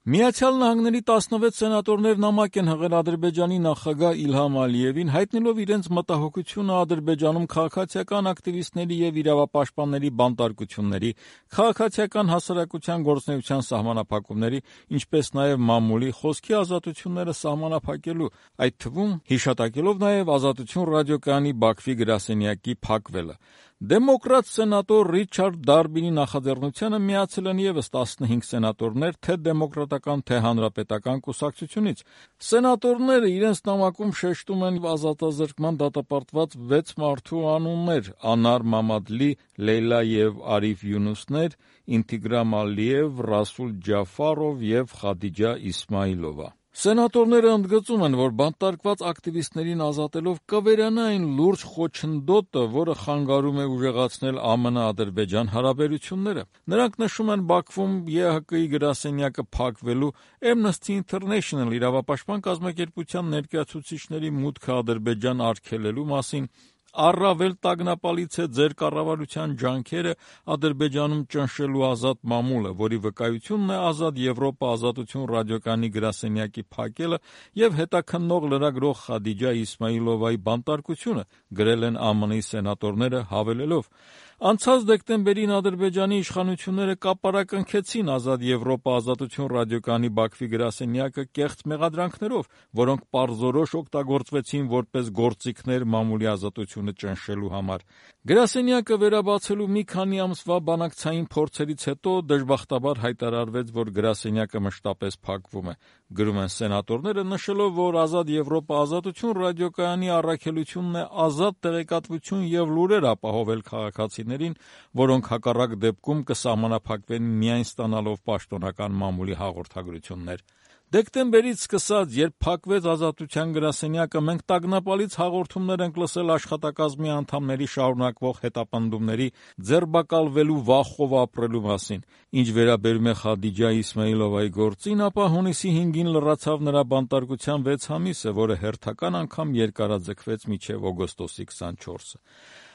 Միացյալ Նահանգների 16 սենատորներ նամակ են հղել Ադրբեջանի նախագահ Իլհամ Ալիևին, հայտնելով իրենց մտահոգությունը Ադրբեջանում քաղաքացիական ակտիվիստների եւ իրավապաշտպանների բանտարկությունների, քաղաքացիական հասարակության գործունեության սահմանափակումների, ինչպես նաեւ մամուլի խոսքի ազատությունները սահմանափակելու, այդ թվում հիշատակելով նաեւ Ազատություն ռադիոկայանի Բաքվի գրասենյակի փակվելը։ Դեմոկրատ սենատոր Ռիչարդ Դարբինի նախաձեռնությանը միացել են եւս 15 սենատորներ թե դեմոկրատական, թե հանրապետական կուսակցությունից։ Սենատորները իրենց նամակում շեշտում են ազատազրկման դատապարտված 6 մարդու անուններ՝ Անար Մամադլի, Լեյլա եւ Արիֆ Յունուսներ, Ինտիգրամ Ալիև, Ռասուլ Ջաֆարով եւ Խադիջա Իսմայիլովա։ Սենատորները ընդգծում են, որ բանտարկված ակտիվիստներին ազատելով կվերանա այն լուրջ խոչընդոտը, որը խանգարում է ուժեղացնել ԱՄՆ-Ադրբեջան հարաբերությունները։ Նրանք նշում են Բաքվում ԵՀԿ-ի գրասենյակը փակվելու, Amnesty International իրավապաշտպան կազմակերպության ներկայացուցիչների մուտքը Ադրբեջան արգելելու մասին, առավել տագնապալից է ձեր կառավարության ջանքերը Ադրբեջանում ճնշելու ազատ մամուլը, որի վկայությունն է Ազատ Եվրոպա Ազատություն ռադիոկայանի գրասենյակի փակելը եւ հետաքննող լրագրող Խադիջա Իսմայիլովայի բանտարկությունը, գրել են ԱՄՆ-ի սենատորները, հավելելով. Անցած դեկտեմբերին Ադրբեջանի իշխանությունները կապարակնքեցին Ազատ Եվրոպա Ազատություն ռադիոկայանի Բաքվի գրասենյակը կեղծ մեղադրանքներով, որոնք պարզորոշ օգտագործվեցին որպես գործիքներ մամուլի ազատությունը ճնշելու համար։ Գրասենյակը վերաբացելու մի քանի ամսվա բանակցային փորձերից հետո դժբախտաբար հայտարարվեց, որ գրասենյակը մշտապես փակվում է, գրում են սենատորները, նշելով, որ Ազատ Եվրոպա Ազատություն ռադիոկայանի առաքելությունն է ազատ տեղեկատվություն եւ լուրեր ապահովել քաղաքացիներին, որոնք հակառակ դեպքում կսահմանափակվեն միայն ստանալով պաշտոնական մամուլի հաղորդագրություններ։ Դեկտեմբերից սկսած, երբ փակվեց Ազատության գրասենյակը, մենք տագնապալից հաղորդումներ ենք լսել աշխատակազմի անդամների շարունակվող հետապնդումների, ձերբակալվելու վախով ապրելու մասին։ Ինչ վերաբերում է Խադիջա Իսմայիլովայի գործին, ապա հունիսի 5-ին լրացավ նրա բանտարկության 6 ամիսը, որը հերթական անգամ երկարաձգվեց մինչև օգոստոսի 24-ը։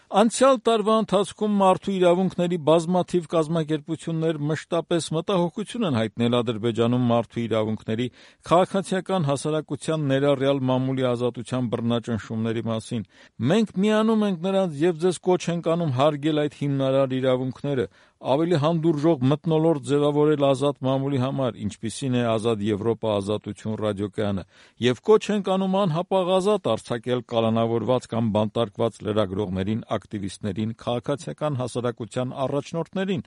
Անցյալ տարվա ընթացքում մարդու իրավունքների բազմաթիվ կազմակերպություններ մշտապես մտահոգություն են հայտնել Ադրբեջանում մարդու իրավունքների, քաղաքացիական հասարակության ներառյալ մամուլի ազատության բռնաճնշումների մասին։ Մենք միանում ենք նրանց եւ ձեզ կոչ ենք անում հարգել այդ հիմնարար իրավունքները, ավելի հանդուրժող մթնոլորտ ձևավորել ազատ մամուլի համար, ինչպիսին է Ազատ Եվրոպա Ազատություն ռադիոկայանը, եւ կոչ ենք անում անհապաղ ազատ արձակել կալանավորված կամ բանտարկված լրագրողներին, ակտիվիստներին, քաղաքացիական հասարակության առաջնորդներին։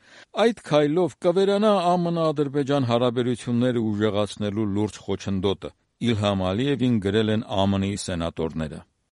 Այդ քայլով կվերանա ԱՄՆ-Ադրբեջան հարաբերությունները ուժեղացնելու լուրջ խոչընդոտը, Իլհամ Ալիևին գրել են ԱՄՆ-ի սենատորները։